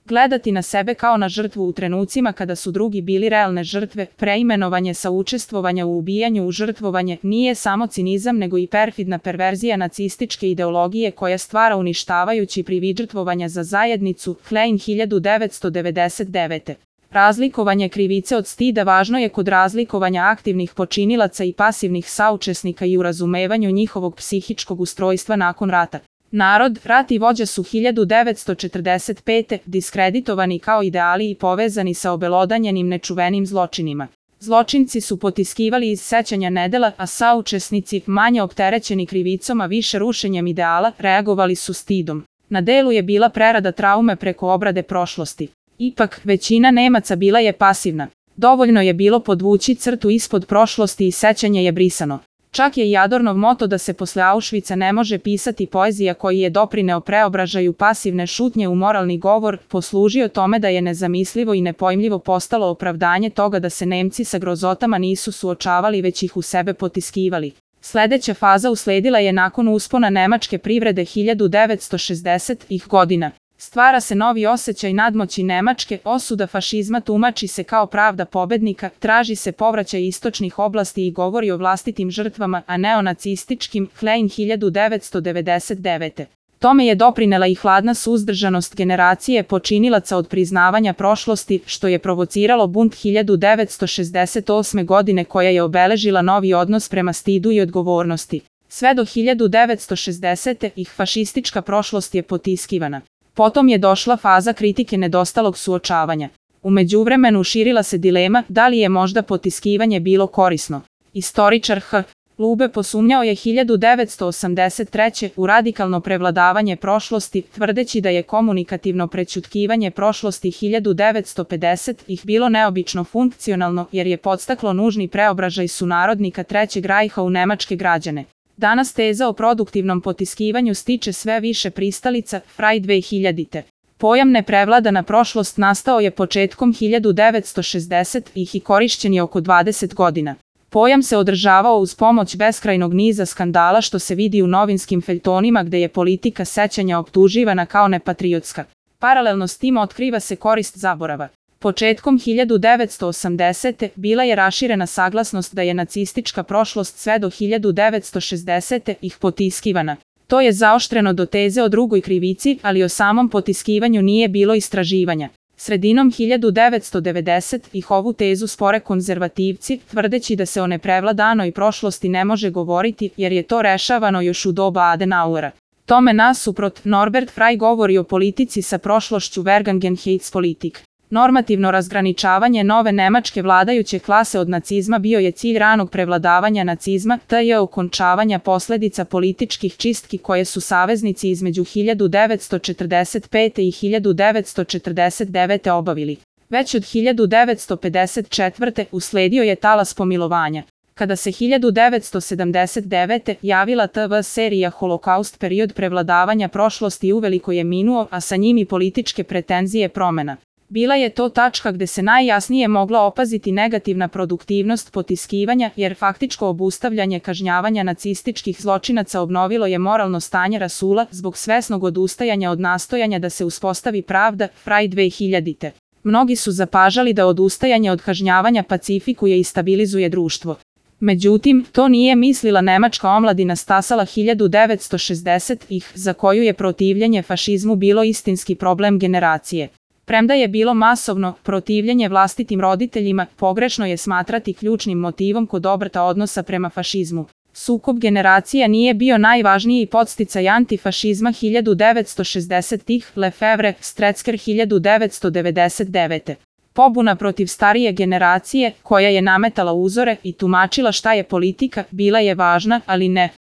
Gledati na sebe kao na žrtvu u trenucima kada su drugi bili realne žrtve, preimenovanje sa učestvovanja u ubijanju u žrtvovanje, nije samo cinizam nego i perfidna perverzija nacističke ideologije koja stvara uništavajući privid žrtvovanja za zajednicu. Klein 1999. Razlikovanje krivice od stida važno je kod razlikovanja aktivnih počinilaca i pasivnih saučesnika i u razumevanju njihovog psihičkog ustrojstva nakon rata. Narod, rat i vođa su 1945. diskreditovani kao ideali i povezani sa obelodanjenim nečuvenim zločinima. Zločinci su potiskivali iz sećanja nedela, a saučesnici, manje opterećeni krivicom a više rušenjem ideala, reagovali su stidom. Na delu je bila prerada traume preko obrade prošlosti. Ipak, većina Nemaca bila je pasivna. Dovoljno je bilo podvući crtu ispod prošlosti i sećanje je brisano. Čak je i Adornov moto da se posle Auschwitza ne može pisati poezija koji je doprineo preobražaju pasivne šutnje u moralni govor, poslužio tome da je nezamislivo i nepojmljivo postalo opravdanje toga da se Nemci sa grozotama nisu suočavali već ih u sebe potiskivali. Sledeća faza usledila je nakon uspona nemačke privrede 1960-ih godina. Stvara se novi osjećaj nadmoći Nemačke, osuda fašizma tumači se kao pravda pobednika, traži se povraćaj istočnih oblasti i govori o vlastitim žrtvama, a ne o nacističkim. Klein 1999. Tome je doprinela i hladna suzdržanost generacije počinilaca od priznavanja prošlosti, što je provociralo bunt 1968. godine koja je obeležila novi odnos prema stidu i odgovornosti. Sve do 1960. fašistička prošlost je potiskivana. Potom je došla faza kritike nedostalog suočavanja. U međuvremenu širila se dilema da li je možda potiskivanje bilo korisno. Istoričar H. Lube posumnjao je 1983. u radikalno prevladavanje prošlosti, tvrdeći da je komunikativno prećutkivanje prošlosti 1950-ih bilo neobično funkcionalno jer je podstaklo nužni preobražaj sunarodnika Trećeg rajha u nemačke građane. Danas teza o produktivnom potiskivanju stiče sve više pristalica. Fraj 2000. Pojam neprevladana prošlost nastao je početkom 1960-ih i korišćen je oko 20 godina. Pojam se održavao uz pomoć beskrajnog niza skandala što se vidi u novinskim feljtonima gde je politika sećanja optuživana kao nepatriotska. Paralelno s tim otkriva se korist zaborava. Početkom 1980. bila je raširena saglasnost da je nacistička prošlost sve do 1960-ih potiskivana. To je zaoštreno do teze o drugoj krivici, ali o samom potiskivanju nije bilo istraživanja. Sredinom 1990-ih ovu tezu spore konzervativci, tvrdeći da se o neprevladanoj prošlosti ne može govoriti jer je to rešavano još u doba Adenauera. Tome nasuprot, Norbert Fraj govori o politici sa prošlošću Vergangenheitspolitik. Normativno razgraničavanje nove nemačke vladajuće klase od nacizma bio je cilj ranog prevladavanja nacizma, te okončavanja posledica političkih čistki koje su saveznici između 1945. i 1949. obavili. Već od 1954. usledio je talas pomilovanja. Kada se 1979. javila TV serija Holokaust, period prevladavanja prošlosti uveliko je minuo, a sa njim i političke pretenzije promena. Bila je to tačka gde se najjasnije mogla opaziti negativna produktivnost potiskivanja, jer faktičko obustavljanje kažnjavanja nacističkih zločinaca obnovilo je moralno stanje rasula zbog svesnog odustajanja od nastojanja da se uspostavi pravda. Fraj 2000. Mnogi su zapažali da odustajanje od kažnjavanja pacifikuje i stabilizuje društvo. Međutim, to nije mislila nemačka omladina stasala 1960-ih, za koju je protivljenje fašizmu bilo istinski problem generacije. Premda je bilo masovno protivljenje vlastitim roditeljima, pogrešno je smatrati ključnim motivom kod obrta odnosa prema fašizmu. Sukob generacija nije bio najvažniji podsticaj antifašizma 1960-ih, Lefevre, Strecker 1999. Pobuna protiv starije generacije, koja je nametala uzore i tumačila šta je politika, bila je važna, ali ne